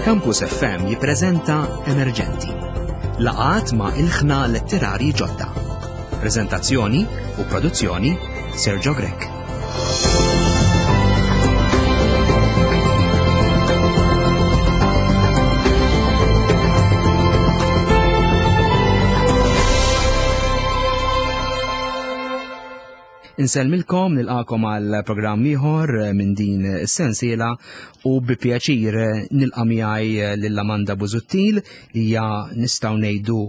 Campus FM jippreżenta Emerġenti. Laqat ma' ilħna letterari ġodda. Preżentazzjoni u produzzjoni Sergio Grech. Insellmilkom nilqakom għal programm ieħor eh, minn din is-sensiela u bi pjaċir eh, nilqa' miegħi eh, lil Amanda Busuttil hija nistgħu ngħidu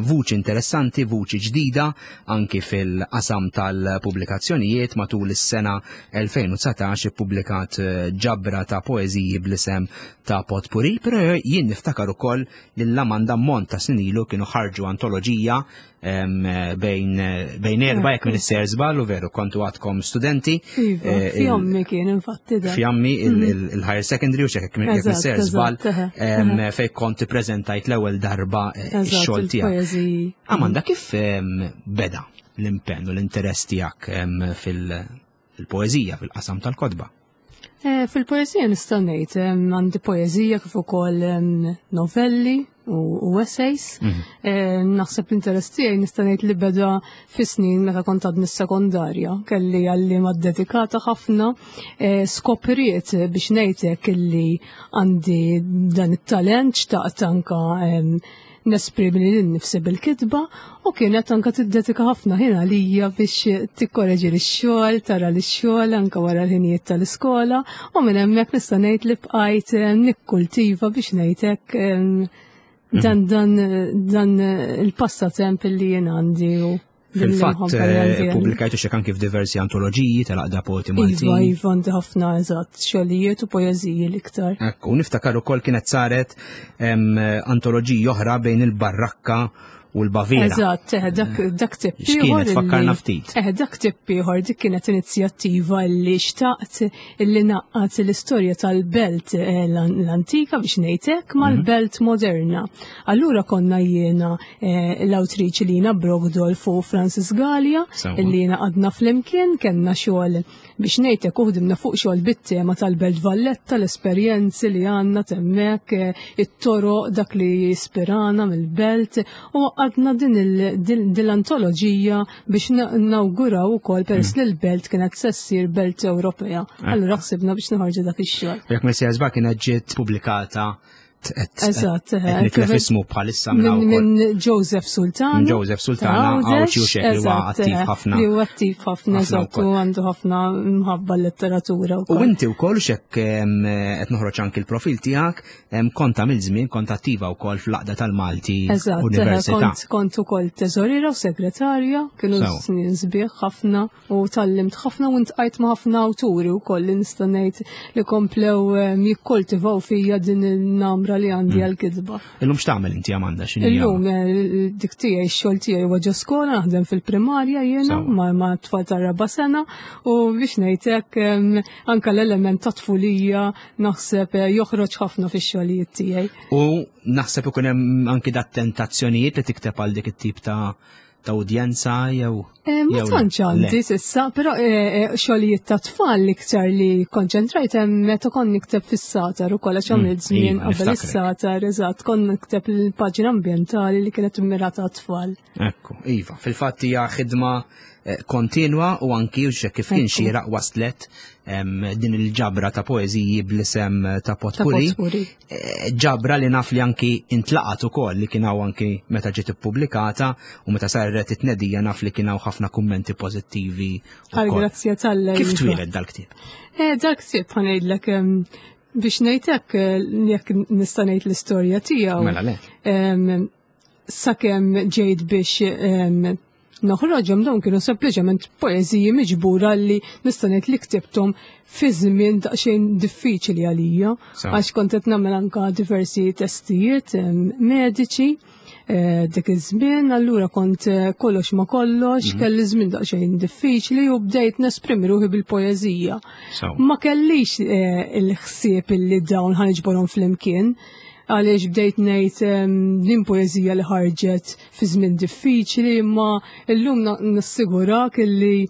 vuċi interessanti, vuċi ġdida anki fil-qasam tal-pubblikazzjonijiet matul is-sena 2019 ippubblikat ġabra ta' poeżiji bl-isem ta' Potpuri, però jien niftakar ukoll lil Amanda Mont ta' snin ilu kienu ħarġu antoloġija bejn bejn erba jekk minn isser żball u veru kontu għadkom studenti. Iva, eh, fjammi kien infatti da. Fjammi mhm. il-higher secondary u xek jekk minn isser żball fej kont preżentajt l-ewwel darba eh, ix-xogħol tiegħek. Amanda kif beda l-impenn u l-interess tiegħek fil-poeżija fil-qasam tal-kotba? Eh, fil-poezija nista' ngħid għandi poeżija kif ukoll novelli u essays. Mhm. Eh, naħseb l-interess tiegħi nista' ngħid li beda fis-snin meta kont għadni s-sekondarja, kelli għalliema dedikata ħafna, eh, skopriet biex ngħidlek illi għandi dan it-talent xtaqt anka nesprimi lili nnifsi bil-kitba u kienet anka tiddedika ħafna ħin għalija biex tikkoreġi x-xogħol, tara l-xogħol anka wara l-ħinijiet tal-iskola u minn hemmhekk nista' ngħid li bqajt eh, nikkultiva biex ngħid hekk eh, dan dan dan il-passatemp li jien għandi u Fil-fatt, eh, publikajtu xek anki f'diversi antoloġiji tal-aqda poeti Maltin. Iva, iva, għandi ħafna eżatt, xogħlijiet u poeżiji l-iktar. Ekku, niftakar ukoll kienet saret antoloġiji oħra bejn il-barrakka u l-Baviera. Eżatt, eh, dak, dak tip ieħor. Fakkarna ftit. Eh, dak tip ieħor dik kienet inizjattiva li xtaqt illi naqqat l-istorja tal-belt eh, l-antika biex ngħidlek mal-belt moderna. Allura konna jiena eh, l-awtriċi Lina Brogdolf u Francis Gallia illi jiena għadna flimkien kellna xogħol biex ngħidlek uħdimna fuq xogħol bit-tema tal-Belt Valletta, l-esperjenzi li għandna temmek, eh, it-toroq dak li jispirana mill-belt u għadna din l-antoloġija biex nawguraw ukoll peress mm. li l-belt kienet se ssir belt Ewropea. Eh. Allura ħsibna biex noħorġu dak ix-xogħol. Jekk Messias kienet ġiet pubblikata Eżatt, eh, nitlef ismu bħalissa minn Joseph Sultana. Minn Joseph Sultana, għawċi u xek li huwa attiv eh, ħafna. Li huwa attiv ħafna, eżatt, u għandu ħafna mħabba letteratura. U inti wkoll xek qed noħroġ anki l-profil tiegħek, kont għamil żmien kont attiva wkoll fl-aqda tal-Malti eh, Università. Kont ukoll teżoriera u segretarja, kienu snin sbieħ ħafna. U tgħallimt ħafna u ntqajt ma' ħafna awturi wkoll li nista' ngħid li komplew ehm, jikkoltivaw fija din il-namra li għandi mm. għal-kitba. Illum x'tagħmel inti Amanda x'inhi? Illum eh, dik tiegħi x-xogħol tiegħi huwa ġo skola naħdem fil-primarja jiena ma' tfal tar-raba' sena u biex ngħid hekk ehm, anke l-element ta' tfulija naħseb eh, joħroġ ħafna fix-xogħlijiet tiegħi. U naħseb ikun hemm anki dat tentazzjonijiet li tikteb għal dik it-tip ta' ta' udjenza jew. Eh, ma tantx għandi s'issa, però eh, eh, xogħlijiet ta' tfal l-iktar li konċentrajt hemm meta kont nikteb fis-satar ukoll għax għamilt mm, żmien iva, qabel is-satar, eżatt, kont nikteb il-paġna ambjentali li kienet immirata tfal. Ekku, iva, fil-fatt hija ħidma kontinwa u anki u kif kien xieraq waslet din il-ġabra ta' poeżiji bl-isem ta' Potpuri. Eh, ġabra li naf li anki intlaqat ukoll li kien hawn anki meta ġiet ippubblikata u meta saret it-tnedija naf li kien hawn ħafna kummenti pożittivi. Għal grazzja tal Kif twieled dal-ktieb? Eh, dal-ktieb ħanejdlek biex ngħidlek eh, jekk nista' ngħid l-istorja tiegħu. Mela le. Sakemm ġejt biex noħroġhom dawn kienu sempliċement poeżiji miġbura li nista' ngħid li ktibthom fi żmien daqsxejn diffiċli għalija għax kont qed nagħmel anka diversi testijiet mediċi eh, dik iż-żmien, allura kont eh, kollox ma kollox, mhm. kelli żmien daqsxejn diffiċli u bdejt nesprimi ruħi bil-poeżija. Ma kellix eh, il-ħsieb illi dawn ħanġborhom flimkien għaliex bdejt ngħid din poeżija li ħarġet fi żmien diffiċli, imma illum nassigurak illi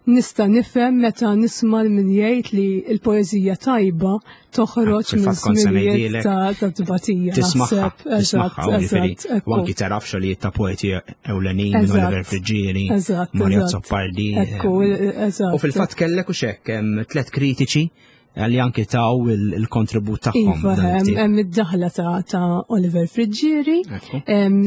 Nista' nifhem meta nisma' l min jgħid li l-poeżija tajba toħroġ minn żminijiet ta' tbatija. Tismaħħa, tismaħħa, u anki taraf xogħlijiet ta' poeti ewlenin minn Oliver Friggieri, Mario Zoppardi. U fil-fatt kellek u xekk tlet kritiċi li anki taw il-kontribut tagħhom. Iva, hemm id-daħla ta' Oliver Friggieri,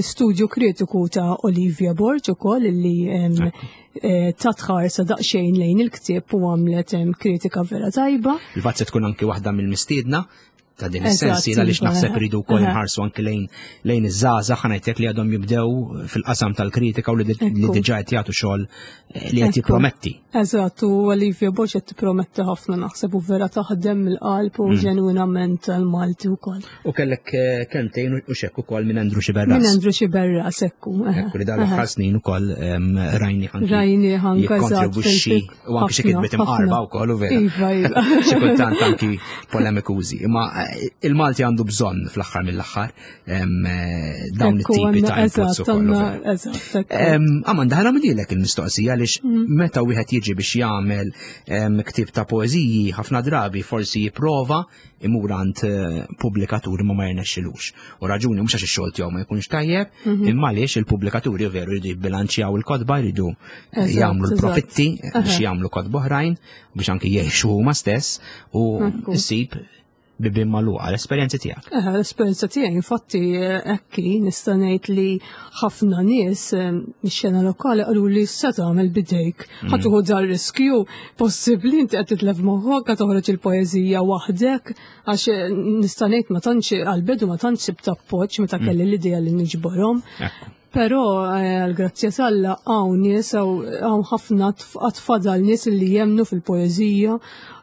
studju kritiku ta' Olivia Borg ukoll li eh, ta' tħarsa daqsxejn lejn il-ktieb u għamlet kritika vera tajba. Il-fatt se tkun anki waħda mill-mistiedna ta' din is-sensi għaliex iva, naħseb iridu wkoll nħarsu anki lejn lejn iż-żgħażagħ ħanajtek li għadhom jibdew fil-qasam tal-kritika u li diġà qed jagħtu xogħol eh, li qed jipprometti. Eżatt, u Olivia Borg qed tipprometti ħafna naħseb u vera taħdem mill-qalb u mm. ġenwinament għal-Malti wkoll. U kellek eh, kelmtejn u xekk ukoll minn Andrew Xiberras. Minn Andrew Xiberras, ekku. Eh, ekku li dal aħħar snin ukoll rajni ħanki. Rajni ħanka jikkontribwixxi u anki xi kitbet imqarba wkoll u vera. Iva, iva. Xi kultant anki polemikużi. Imma eh, il-Malti għandu bżonn fl-aħħar mill-aħħar Eh, dawn it-tipi ta' inputs ukoll. Amanda, ħana midilek il-mistoqsija għaliex mm. meta wieħed jiġi biex jagħmel ktieb ta' poeżiji ħafna drabi forsi jipprova imur għand eh, pubblikaturi ma ma jirnexxilux. U raġuni mhux għax ix-xogħol tiegħu ma jkunx tajjeb, mhm. imma għaliex il-pubblikaturi veru jridu jibbilanċjaw il-kotba, jridu jagħmlu l-profitti biex jagħmlu kotba oħrajn biex anki jgħixu huma stess u ssib bibien magħluqa, l-esperjenzi tiegħek. Eh, l-esperjenza tiegħi infatti eh, ekki nista' ngħid li ħafna nies eh, mix-xena lokali qalu li se tagħmel bidejk. Ħa tieħu dar riskju possibbli inti qed titlef moħħok qed toħroġ il-poeżija waħdek għax nista' ngħid ma tantx għall-bidu ma tantx sibt appoġġ meta mm. kelli l-idea li niġborhom. Però eh, għall-grazzja t'Alla hawn nies hawn ħafna għad fadal nies li jemmnu fil-poeżija,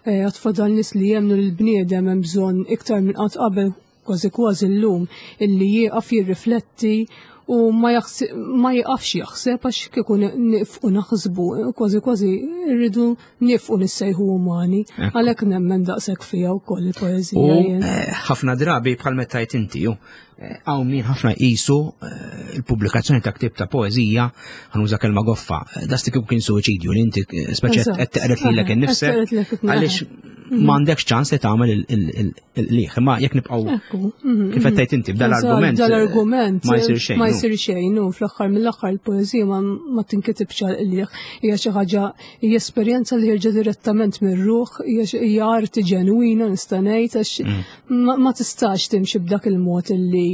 eh, għad fadal nies li jemmnu li l-bniedem hemm bżonn iktar minn qatt qabel kważi kważi llum illi jieqaf jirrifletti u ma jieqafx jaħseb għax kieku nifqu naħsbu kważi kważi rridu nifqu nissejħu umani għalhekk nemmen daqshekk fiha wkoll il-poeżija. Eh, ħafna drabi bħal meta tajt inti Hawn min ħafna jqisu eh, il-pubblikazzjoni ta' ktieb ta' poeżija, ħanuża kelma goffa, eh, dasti kieku kien suwiċidju li inti eh, speċi qed teqret lilek innifsek għaliex mhm. m'għandekx ċans li tagħmel il-liħ, imma jekk nibqgħu mhm, kif qed mhm. tgħid inti b'dal-argument. Dal-argument ma jsir xejn. Ma jsir xejn, u fl-aħħar mill-aħħar il-poeżija ma tinkitibx għal qliħ, hija xi ħaġa hija esperjenza li ħirġa direttament mir-ruħ, hija arti ġenwina nista' ngħid għax mm. ma tistax timxi b'dak il-mod illi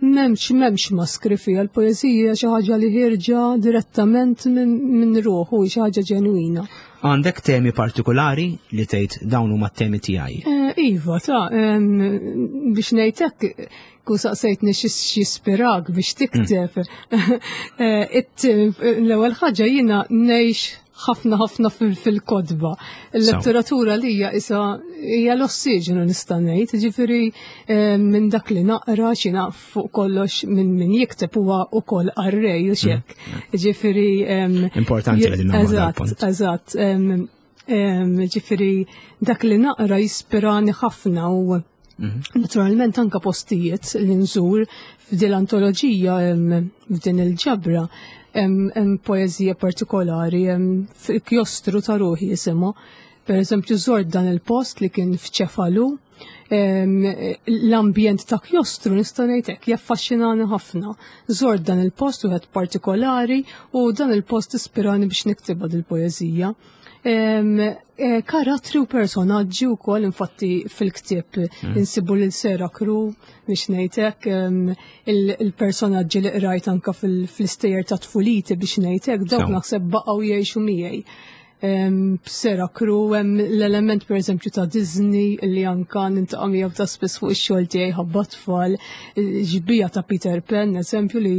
memx memx maskri fiha l-poeżija xi ħaġa li ħirġa direttament minn ruħu xi ħaġa ġenwina. Għandek temi partikolari li tgħid dawn huma t-temi tiegħi? Eh, iva, ta' biex ngħid hekk kun saqsejtni x'jispirak biex tikteb. Mm. Eh, l-ewwel ħaġa jiena ngħix ħafna ħafna fil-kodba. Il-letteratura li hija isa hija l-ossiġenu nista' ngħid, ġifieri eh, minn dak li naqra xi naf fuq kollox minn min jikteb huwa wkoll qarrej u xek. Mm. Ġifieri Importanti li Eżatt, eżatt. Ġifieri dak li naqra jispirani ħafna u mhm. Naturalment anka postijiet li nżur f'din l-antoloġija f'din il-ġabra hemm poeżija partikolari fil-kjostru ta' ruħi jisimha. Per eżempju, żort dan il-post li kien f'Ċefalu, l-ambjent ta' kjostru nista' ngħid hekk jaffaxxinani ħafna. Żort dan il-post wieħed partikolari u dan il-post ispirani biex niktibha dil-poeżija. Eh, karattri u personaġġi wkoll infatti fil-ktieb mm. insibu lil Sera Kru biex ngħidlek il-personaġġi li qrajt anka fil-istejjer ta' tfuliti biex ngħidlek dawk naħseb baqgħu jgħixu miegħi. Sera Kru hemm l-element pereżempju ta' Disney li anka nintaqa' miegħu ta' spiss fuq ix-xogħol tiegħi ħabba tfal, ġbija ta' Peter Pan, eżempju li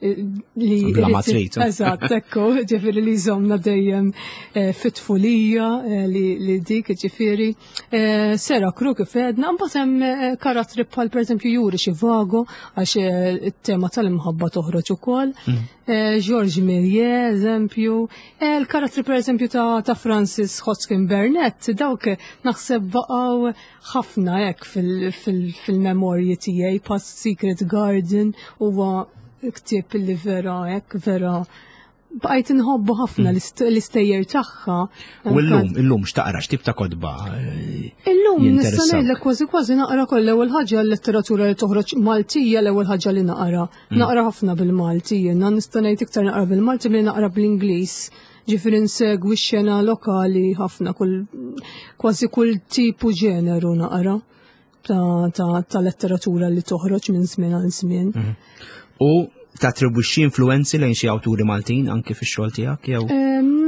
li bla ma trid. Eżatt, ekku, ġifieri li jżomna dejjem eh, fit-tfulija eh, li dik, ġifieri. Eh, Sera Kru kif għedna, mbagħad hemm karattri bħal pereżempju Juri Xivago għax it-tema tal-imħabba toħroġ ukoll. Mm. George Méliès, eżempju, il-karattri pereżempju ta' Francis Hodgkin Burnett, dawk naħseb baqgħu ħafna hekk fil-memorji tiegħi Past Secret Garden huwa ktieb li vera hekk vera Bqajt inħobbu ħafna mm. l-istejjer tagħha. U llum, illum x'taqra x'tip ta' kotba? Eh, illum nista' ngħidlek kważi kważi naqra koll l-ewwel ħaġa l-letteratura li toħroġ Maltija l-ewwel ħaġa li naqra. Mm. Naqra ħafna bil-Malti, jiena nista' ngħid iktar naqra bil-Malti milli naqra bl-Ingliż. Ġifieri nsegwi x-xena lokali ħafna kull kważi kull tipu ġeneru naqra ta', ta, ta letteratura li toħroġ minn żmien għal żmien. Mhm. U tatribwixxi influenzi lejn xi awturi Maltin anki fix-xogħol tiegħek jew?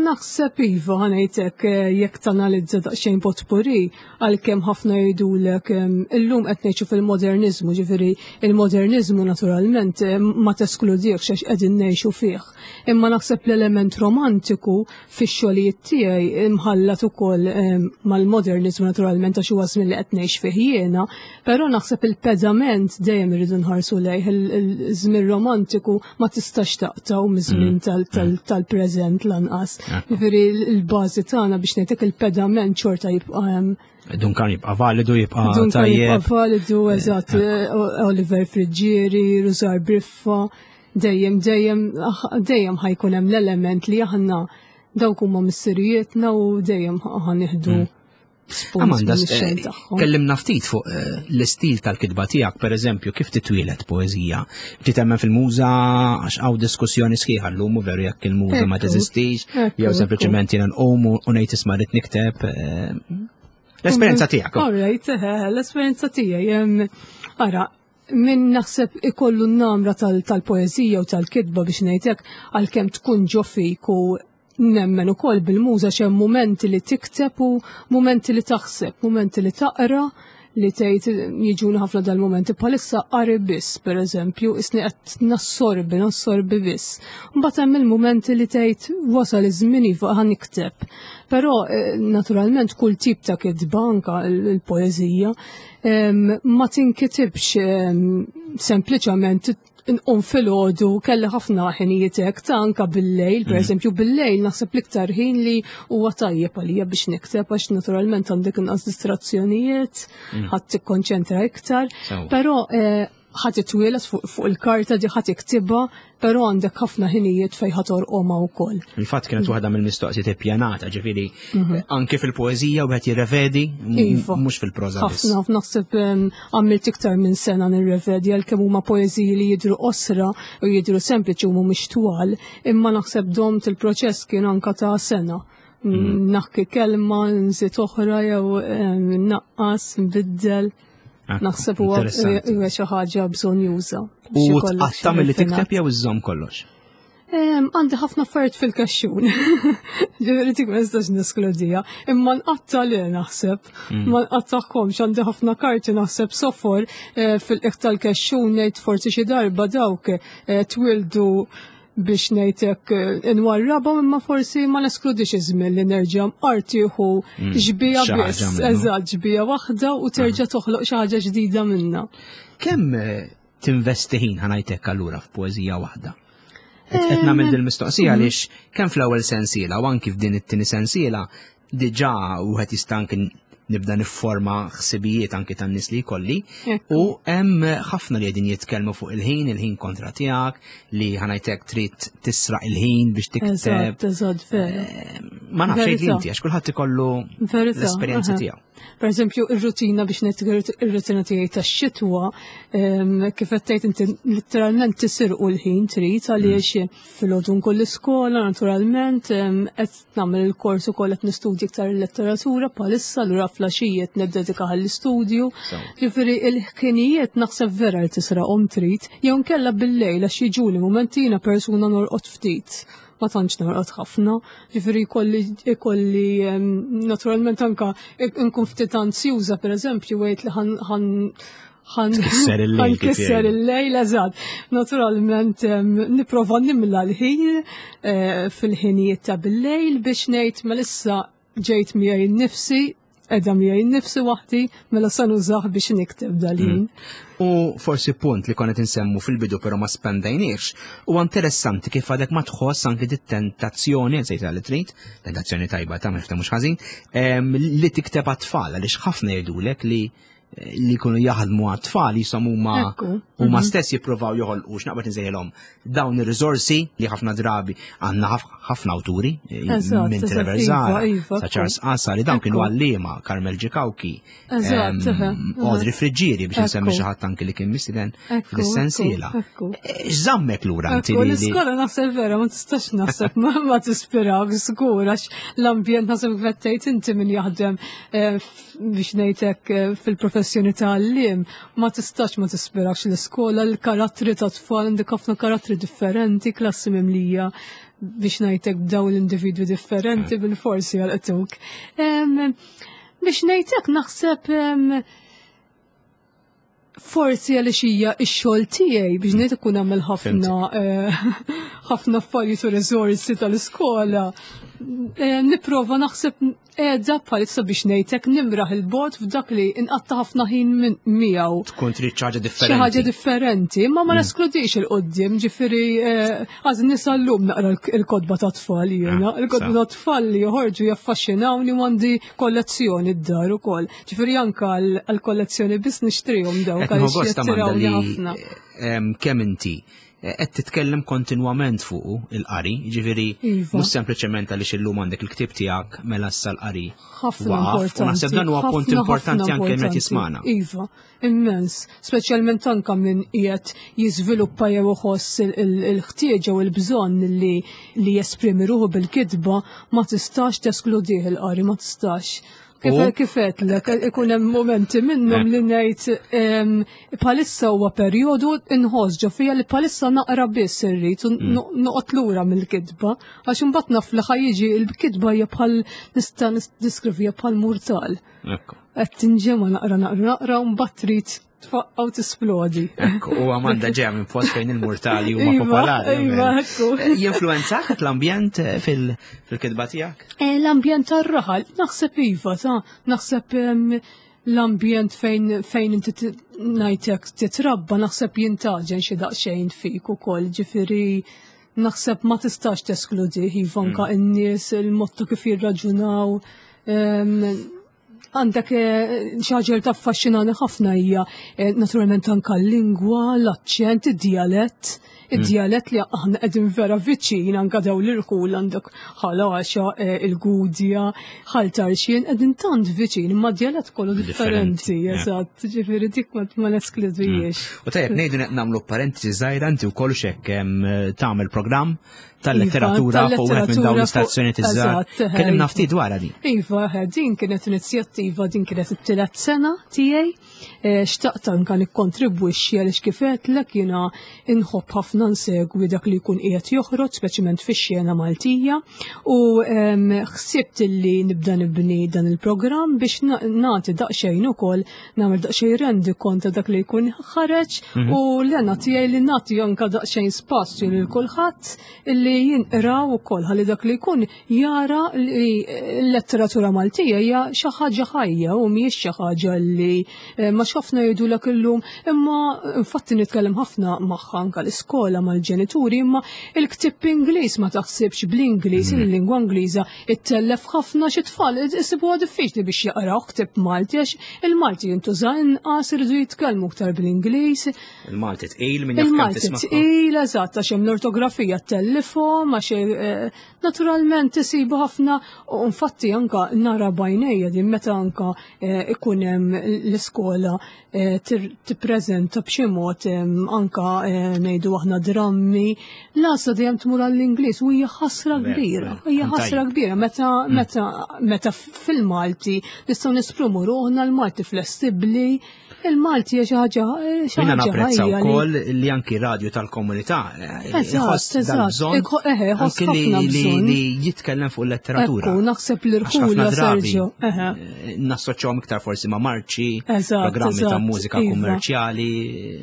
Naħseb iva ħanejtek eh, jekk tanalizza daqsxejn potpuri għalkemm ħafna jgħidulek illum qed ngħixu fil-moderniżmu, ġifieri il-moderniżmu naturalment ma teskludihx għax qegħdin ngħixu fih. Imma naħseb l-element romantiku fix-xogħlijiet tiegħi imħallat ukoll ehm, mal-moderniżmu naturalment għax huwa żmien li qed ngħix fih jiena, però naħseb il-pedament dejjem irridu nħarsu lejh il-żmien romantiku ma tistax taqtaw miż-żmien mm. mm. tal-preżent lanqas. Jiġifieri l-bażi tagħna biex ngħidlek il-pedament xorta jibqa' hemm. Duncan jibqa' validu, jibqa' Duncan jibqa' validu, eżatt, eh, Oliver Friggieri, Rusar Briffa dejjem dejjem dejjem ħajkun hemm l-element li aħna dawk huma missirijietna u dejjem ħanieħdu mm. Amanda, eh, kellimna ftit fuq eh, l-istil tal-kitba tiegħek, per eżempju, kif titwielet poeżija? Titemmen fil-muża għax hawn diskussjoni sħiħa llum u veru jekk il-muża ma teżistix, jew sempliċement jiena nqum u ngħid isma' rid nikteb. Eh, l-esperjenza tiegħek. All right, l-esperjenza tiegħi. Ara, min naħseb ikollu n-namra tal-poezija u tal-kitba biex ngħidlek għalkemm tkun ġo fik u nemmen ukoll bil-muża x'hemm mumenti li tikteb u mumenti li taħseb, mumenti li taqra li tgħid jiġuni ħafna dal-mumenti bħalissa qari biss, pereżempju, isni qed nassorbi, nassorbi biss. Mbagħad hemm il-mumenti li tgħid wasal iż-żmien iva ħa nikteb. Però eh, naturalment kull tip ta' kitba anka l-poeżija ma tinkitibx sempliċement nqum filgħodu kelli ħafna ħinijiet hekk ta' anka bil-lejl, per mhm. eżempju bil-lejl naħseb l-iktar ħin li huwa tajjeb għalija biex nikteb għax naturalment għandek inqas distrazzjonijiet, mhm. ħadd tikkonċentra iktar, però eh, ħadd itwieles fuq il-karta di ħadd iktibha, però għandek ħafna ħinijiet fejn ħadd orqomha wkoll. Il-fatt kienet waħda mill-mistoqsijiet ippjanata, ġifieri mhm. anke fil-poeżija wieħed jirrevedi, iva. mhux fil-proża. Ħafna naħseb għamilt iktar minn sena nirrevedi għalkemm huma poeżiji li jidhru qosra u jidhru sempliċi u mhumiex twal, imma naħseb domt il-proċess kien anka ta' sena. Mm. Naħki kelma, nżid oħra jew naqqas, nbiddel. Naħseb huwa xi ħaġa bżonn juża. U tqatta' milli tikteb jew iżżomm kollox? Għandi ħafna affarijiet fil-kaxxun. Ġifieri dik ma nistax neskludija. Imma nqatta' le naħseb. Mm. Ma nqattagħhomx għandi ħafna karti naħseb sofor eh, fil-qiegħ tal-kexxun ngħid forsi xi darba dawk eh, twildu biex ngħidlek eh, inwarrabhom imma forsi ma neskludix iż-żmien li nerġa' artieħu mm, ġbija biss, eżatt ġbija waħda u terġa' toħloq xi ħaġa ġdida minnha. Kemm eh, tinvesti ħin ħanajtek allura f'poeżija waħda? Qed eh, nagħmel din mistoqsija mm. għaliex kemm fl-ewwel sensiela u anki f'din it-tieni sensiela diġà wieħed jista' anki nibda nifforma ħsibijiet anki tan-nies li jkolli u hemm ħafna li qegħdin jitkellmu fuq il-ħin, il-ħin kontra tiegħek, li ħanajtek trid tisraq il-ħin biex tikteb. Eżatt, eżatt, vera. Eh, ma nafx inti għax kulħadd ikollu l-esperjenza tiegħu. Per eżempju, ir-rutina biex ngħid ir-rutina tiegħi tax-xitwa, kif qed tgħid inti letteralment tisirqu l-ħin trid għaliex mm. filgħodu nkun l-iskola naturalment qed nagħmel il-kors ukoll qed nistudja iktar il-letteratura bħalissa lura flaxijiet niddedika għall-istudju. Ġifieri il-ħkinijiet naħseb vera li tisraqhom trid, jew nkella bil-lejl għax jiġuni mumentina persuna norqod ftit ma tantx norqod ħafna, ġifieri jkolli ikolli naturalment anka nkun ftit anzjuża pereżempju għid li ħan ħan kisser il-lejl, eżatt. Naturalment nipprova nimla l-ħin eh, fil-ħinijiet ta' bil-lejl biex ngħid ma issa ġejt miegħi nnifsi edha miegħi nnifsi waħdi mela sa nużah biex nikteb dal-ħin. Mm. U forsi punt li konet insemmu fil-bidu però ma spendajniex, huwa interessanti kif għadek ma tħoss anki dit-tentazzjoni, sejta li trid, tentazzjoni tajba ta' mhux mhux ħażin, li tikteb għat-tfal għaliex ħafna jgħidulek li li jkunu jaħdmu għat-tfal jisom huma huma mhm. stess jippruvaw joħolqu x'naqbad insejħilhom dawn ir-riżorsi li ħafna drabi għandna ħafna awturi eh, minn Trevor iva, Zara, iva, sa Charles Qasa li dawn kienu għalliema Carmel Ġikawki, Audrey Friġġieri biex nsemmi xi ħadd anki li kien mistieden fis-sensiela. Eh, x'żammek lura inti li L-iskola naħseb vera ma tistax naħseb ma tispirak żgur għax l-ambjent naħseb vettejt inti min jaħdem eh, biex ngħidlek eh, fil-professjoni ta' għalliem ma tistax ma tispirakx l-iskola l-karattri ta' tfal għandek ħafna karattri differenti, klassi mimlija biex ngħidlek b'dawn l-individwi differenti bil-forsi għal-qtuk. Biex ngħidlek naħseb forsi għaliex hija x-xogħol tiegħi biex ngħid ikun għamel ħafna eh, ħafna affarijiet u riżorsi tal-iskola. Eh, nipprova naħseb qiegħda bħalissa biex ngħidlek nimraħ il-bot f'dak li inqatta ħafna ħin miegħu. Tkun trid xi ħaġa differenti. Xi ħaġa differenti, imma ma mm. neskludix il-qudiem, ġifieri eh, għaż nisa llum naqra l-kodba ta' tfal jiena, ah, il-kodba ta' tfal li joħorġu jaffaxxinawni u għandi kollezzjoni d-dar ukoll. Ġifieri anka għall-kollezzjoni biss nixtrihom dawk għaliex jattirawni ħafna. Kemm inti eh, qed titkellem kontinwament fuq il-qari, ġifieri iva. mhux sempliċement għaliex illum għandek il-ktieb tiegħek mela issa l-qari. Ħafna importanti. Naħseb dan huwa punt importanti anke meta jismana. Iva, immens, speċjalment anka minn qiegħed jiżviluppa jew iħoss il-ħtieġa u l-bżonn li li jesprimi ruħu bil-kitba ma tistax teskludih il-qari, ma tistax. Kif kif għedtlek, ikun hemm momenti minnhom li ngħid bħalissa huwa perjodu inħoss ġo fija li bħalissa naqra biss irrid u mm. noqgħod lura mill-kitba għax imbagħad naf li ħajjiġi l-kitba hija bħal nista' niskrivija bħal murtal. Qed tinġema naqra naqra naqra u mbagħad trid tfaqqa u tisplodi. Ekku, u Amanda ġeja minn post fejn il-murtali huma iva, popolari. Iva, ekku. Eh, jinfluenzak l-ambjent eh, fil-kitba tiegħek? Eh, l-ambjent tar-raħal, naħseb iva, ta' naħseb l-ambjent fejn fejn inti ngħidlek titrabba naħseb jintaġen xi daqsxejn fik ukoll, ġifieri naħseb ma tistax teskludi iva anka mm. in-nies il-mod ta' kif jirraġunaw. Għandek eh, xi ħaġa li taffaxxinani ħafna hija eh, naturalment anka l-lingwa, l-aċċent, id-djalett. Mm. Id-djalett li aħna qegħdin vera viċin anka daw l-irħul għandek ħalaxa, eh, il-gudja, ħaltarxien, qegħdin tant viċin, imma djalett kollu differenti, eżatt, ġifieri dik ma neskludijiex. Mm. U tajjeb ngħidu nagħmlu parentesi żgħira inti wkoll x'hekk tagħmel programm tal-letteratura fuq wieħed minn dawn l-istazzjoni tiżżar. Kellimna ftit dwarha din. Iva, din kienet inizjattiva, din kienet it-tielet sena tiegħi. Eh, xtaqt anka nikkontribwixxi għaliex kif għedtlek jiena inħobb ħafna nsegwi dak li jkun qiegħed joħroġ, speċjalment fix-xena Maltija, u ħsibt li nibda nibni dan il-programm biex nagħti daqsxejn ukoll nagħmel daqsxejn rendi kont ta' dak li jkun ħareġ mhm. u l-għena tiegħi li nagħti anka daqsxejn spazju lil kulħadd illi jinqraw ukoll ħalli dak li jkun jara li l-letteratura Maltija hija xi ħaġa ħajja u mhijiex xi ħaġa li eh, ma ħafna jgħidulek illum imma infatti nitkellem ħafna magħha anka l-iskola mal-ġenituri imma il-ktieb Ingliż ma taħsibx bl-Ingliż mhm. il-lingwa Ingliża Ittellef ħafna xi tfal isibuha diffiċli biex jaqraw ktieb Malti għax il-Malti jintuża inqas iridu jitkellmu aktar bl-Ingliż. Il-Malti tqil minn jaf Il-Malti tqil eżatt għax hemm l-ortografija ttellifhom għax eh, naturalment isibu ħafna u infatti anka nara bajnejja din meta anka eh, ikun hemm l-iskola Eh, tippreżenta b'xi mod anka eh, ngħidu aħna drammi, l-għażla dejjem tmur għall-Ingliż u hija ħasra kbira, hija ħasra kbira meta mm. meta meta fil-Malti nistgħu nesprumu ruħna l-Malti flessibbli, il-Malti hija xi ħaġa eh, xi ħaġa napprezza wkoll li anki radju tal-komunità jħoss anki li jitkellem fuq il-letteratura. Ekku, naħseb li rħula Sergio. Nassoċjahom iktar forsi ma' marċi, programmi ta' mużika iva. kummerċjali.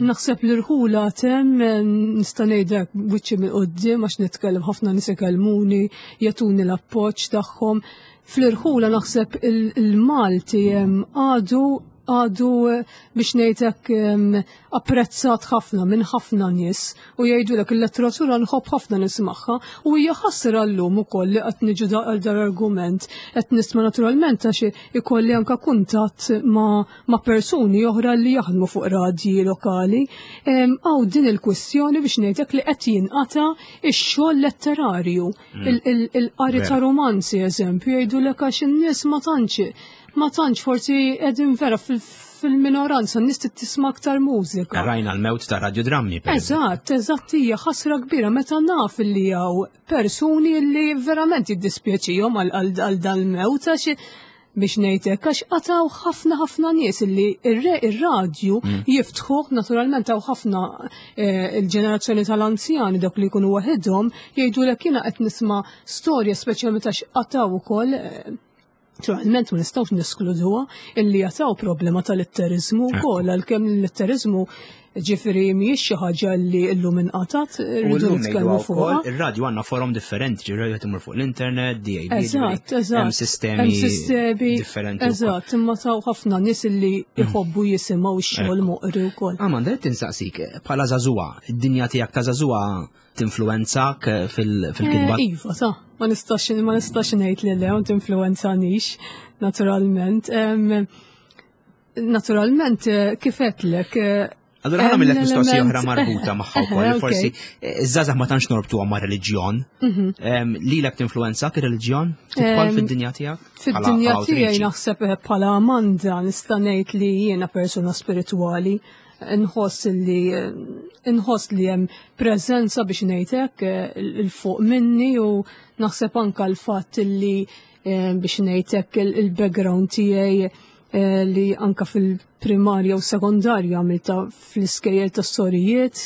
Naħseb li rħula tem eh, nista' ngħidlek wiċċi minn qudiem għax nitkellem ħafna nies ikellmuni, jagħtuni l-appoġġ tagħhom. Fl-irħula naħseb il-Malti għadu għadu biex ngħidlek apprezzat ħafna minn ħafna nies u jgħidulek il-letteratura nħobb ħafna nismagħha u hija ħasra llum ukoll li qed niġu għal dar-argument qed nisma' naturalment għax ikolli anka kuntatt ma', ma persuni oħra li jaħdmu fuq radji lokali. Għaw din il-kwistjoni biex ngħidlek li qed jinqata' ix-xogħol letterarju, il-qari ta' romanzi eżempju jgħidulek għax in-nies ma tantx forsi qegħdin vera fil-minoranza, n-nies tisma' aktar mużika. Rajna l-mewt ta' radiodrammi. Eżatt, eżatt, hija ħasra kbira meta naf li hawn persuni li verament jiddispjaċihom għal dal-mewt għax biex ngħidlek għax qataw ħafna ħafna nies li ir-radju jiftħuh naturalment hawn ħafna il-ġenerazzjoni tal-anzjani dak li jkunu waħedhom jgħidulek jiena qed nisma' storja speċjalment għax qataw ukoll naturalment ma nistgħux neskluduha illi jataw problema tal-litterizmu wkoll għalkemm l-litterizmu ġifieri mhijiex xi ħaġa li llum inqatat, rridu nitkellmu fuqha. Ir-radju għandna forom differenti, ġifieri qed imur fuq l-internet, DAB. Eżatt. Hemm sistemi differenti. Eżatt, imma taw ħafna nies li jħobbu jisimgħu x-xogħol moqri wkoll. Amanda, qed tinsaqsik bħala żagħżugħa, id-dinja tiegħek ta' żagħżugħa tinfluwenzak fil-kitba? Iva, sa, ma nistax ngħid li le, ma tinfluwenzanix, naturalment. Naturalment, kif għedtlek, Allora ħa nagħmillek mistoqsija oħra marbuta magħha wkoll, forsi iż-żgħażagħ ma tantx norbtuha ma' reliġjon. Lilek tinfluwenzak ir-reliġjon? Tidħol fid-dinja tiegħek? Fid-dinja tiegħi naħseb bħala Amanda nista' ngħid li jiena persuna spiritwali. Nħoss li hemm preżenza biex ngħidlek il fuq minni u naħseb anka l-fatt li biex ngħidlek il-background tiegħi li anka fil-primarja u sekondarja għamilta fl-iskejjel tas sorijiet.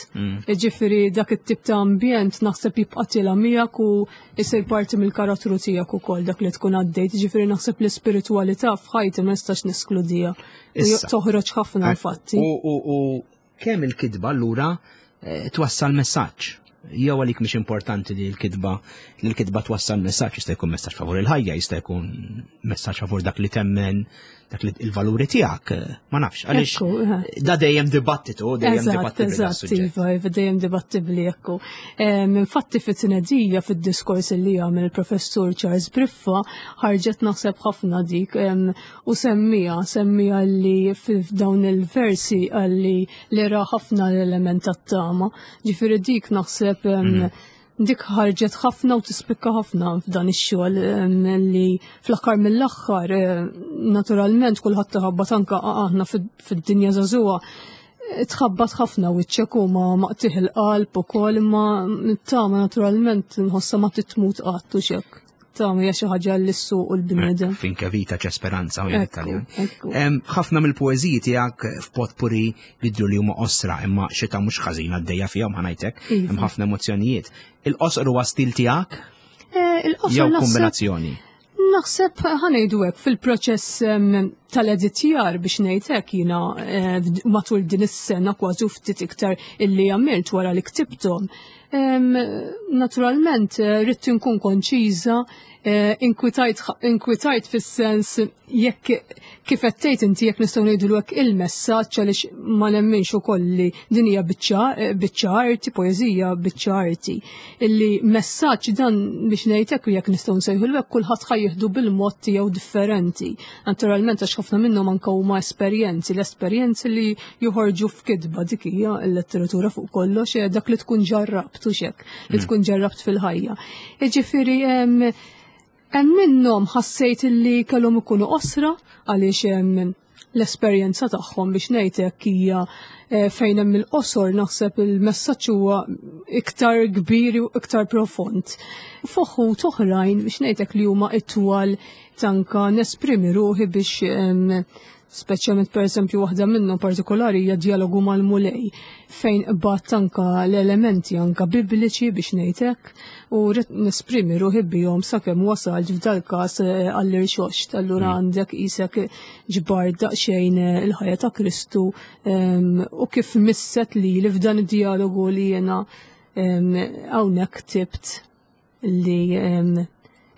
Ġifieri dak it-tip ta' ambjent naħseb jibqa' tilha miegħek u jsir parti mill-karattru tiegħek ukoll dak li tkun għaddejt. Ġifieri naħseb l-ispiritwalità f'ħajti ma nistax neskludija. Toħroġ ħafna infatti. U kemm il-kitba allura twassal messaġġ? Jew għalik mhix importanti li l-kitba twassal messaġġ, jista' jkun messaġġ favur il-ħajja, jista' jkun messaġġ favur dak li temmen, dak li il-valuri tiegħek, ma nafx, għaliex da dejjem dibattitu, dejjem dibattibbli dan is-suġġett. Iva, iva, dejjem dibattibbli, ekku. Infatti fit-tnedija fid-diskors li għamel il-professur Charles Briffa ħarġet naħseb ħafna dik u semmija li f'dawn il-versi għalli li ra ħafna l-element tat-tama. Ġifieri dik naħseb dik ħarġet ħafna u tispikka ħafna f'dan ix-xogħol li fl-aħħar mill-aħħar naturalment kulħadd tħabbat anke aħna fid-dinja żagħżugħa tħabbat ħafna wiċċek u ma maqtih il-qalb ukoll, imma t-tama naturalment nħossha ma titmut qatt u xek. Tama hija xi ħaġa li ssuq u l-bniedem. Finché vita c'è speranza, u Italjan. Ħafna mill-poeżiji tiegħek f'potpuri jidhru li huma qosra, imma xita mhux ħażin għaddejja fihom ħanajtek, hemm ħafna emozzjonijiet. Il-qosor huwa stil tiegħek? Il-qosor Jew naħseb kombinazzjoni? Naħseb ħanejdu hekk fil-proċess tal-editjar biex ngħid hekk jiena matul din is-sena kważi ftit iktar illi għamilt wara li ktibthom. Naturalment ridt inkun konċiża, inkwitajt fis-sens jekk kif qed tgħid inti jekk nistgħu ngħidu hekk il-messaġġ għaliex ma nemminx ukoll li din hija biċċa arti, poeżija biċċa arti. Illi messaġġ dan biex ngħid hekk jekk nistgħu nsejħu hekk kulħadd ħa jieħdu bil-mod tiegħu differenti. Naturalment għax ħafna minnhom anke huma esperjenzi, l-esperjenzi li joħorġu f'kitba dik hija l-letteratura fuq kollox, dak li tkun ġarrabt u xek, li tkun ġarrabt fil-ħajja. Jiġifieri, hemm minnhom ħassejt illi kellhom ikunu qosra għaliex l-esperjenza tagħhom biex ngħidlek hija fejn hemm il-qosor naħseb il-messaġġ huwa iktar kbir u iktar profond. Fuħut oħrajn biex ngħidlek li huma itwal tanka nesprimi ruħi biex speċjalment per eżempju waħda minnhom partikolari hija dialogu mal-Mulej fejn qbad anka l-elementi anka bibliċi biex ngħidlek u rrid nesprimi ruħi bihom sakemm wasalt f'dal-każ għall-irxoxt. Allura għandek isek ġbar daqsxejn il-ħajja ta' Kristu u kif misset li li f'dan id-dialogu li jiena hawnhekk ktibt li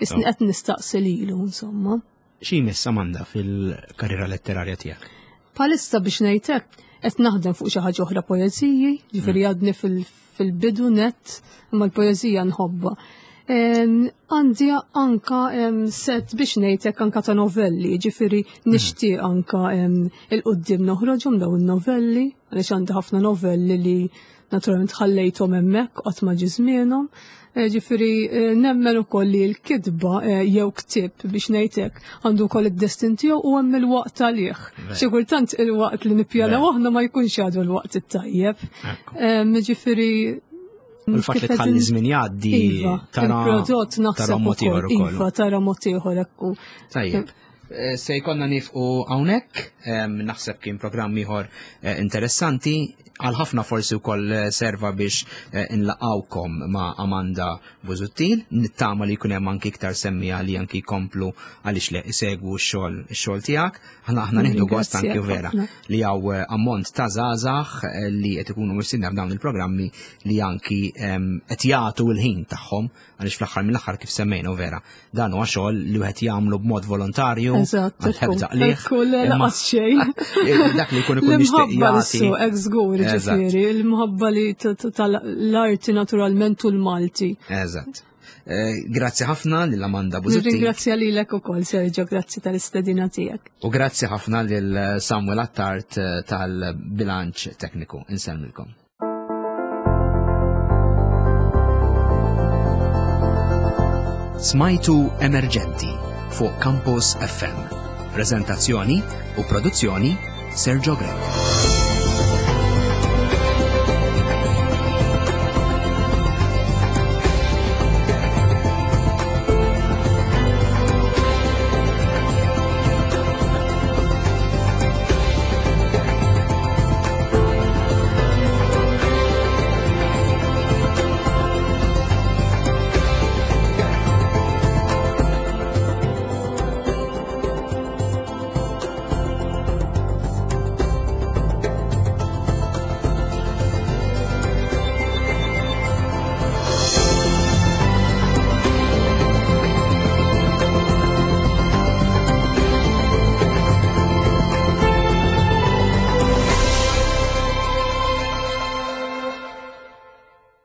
isni qed nistaqsi lilu, insomma. Xi jmiss Amanda fil-karriera letterarja tiegħek? Bħalissa biex ngħidlek qed naħdem fuq xi ħaġa oħra poeżiji, ġifieri għadni fil-bidu net, imma l-poeżija nħobbha. Għandi anka set biex ngħidlek anka ta' novelli, ġifieri nixtieq anka il-qudiem noħroġhom dawn in-novelli, għaliex għandi ħafna novelli li naturalment ħallejthom hemmhekk qatt ma ġie żmienhom. Ġifieri nemmen ukoll li l-kitba jew ktieb biex ngħidlek għandu wkoll id-destin tiegħu u hemm il-waqt għalih. Xi kultant il-waqt li nippjanaw aħna ma jkunx għadu l-waqt it-tajjeb. Ġifieri Il-fatt li tħalli żmien jgħaddi iva, tara il-prodott tara naħseb mod ieħor ukoll, ukoll. iva, tara mod ieħor ekku. Tajjeb. Se jkollna nifqu hawnhekk, naħseb kien programm ieħor interessanti, għal ħafna forsi wkoll serva biex inlaqgħukom ma' Amanda Busuttil, nittama li jkun hemm anki iktar semmija li anki jkomplu għaliex le isegwu x-xogħol tiegħek. Aħna nieħdu gost Ringrazzjak anki vera ħafna. li hawn ammont ta' żgħażagħ li qed ikunu mistiedna f'dawn il-programmi li anki qed jagħtu l-ħin tagħhom għaliex fl-aħħar mill-aħħar kif semmejna u vera dan huwa xogħol li wieħed jagħmlu b'mod volontarju, Eżatt, għal ħebda ekku, qligħ, ekku, le, imma laqas xejn. Dak li jkun ikun jixtieq L-imħabba jagħti. l-suq, hekk żgur, ġifieri, l-imħabba li tal-arti naturalment u l-Malti. Eżatt. Grazzi ħafna lil Amanda Busuttil. Nirringrazzja lilek ukoll, Sergio, grazzi tal-istedina tiegħek. U grazzi ħafna lil Samuel Attard tal-bilanċ tekniku. Insellmilkom. Smajtu Emerġenti fuq Campus FM. Prezentazzjoni u produzzjoni Sergio Grech.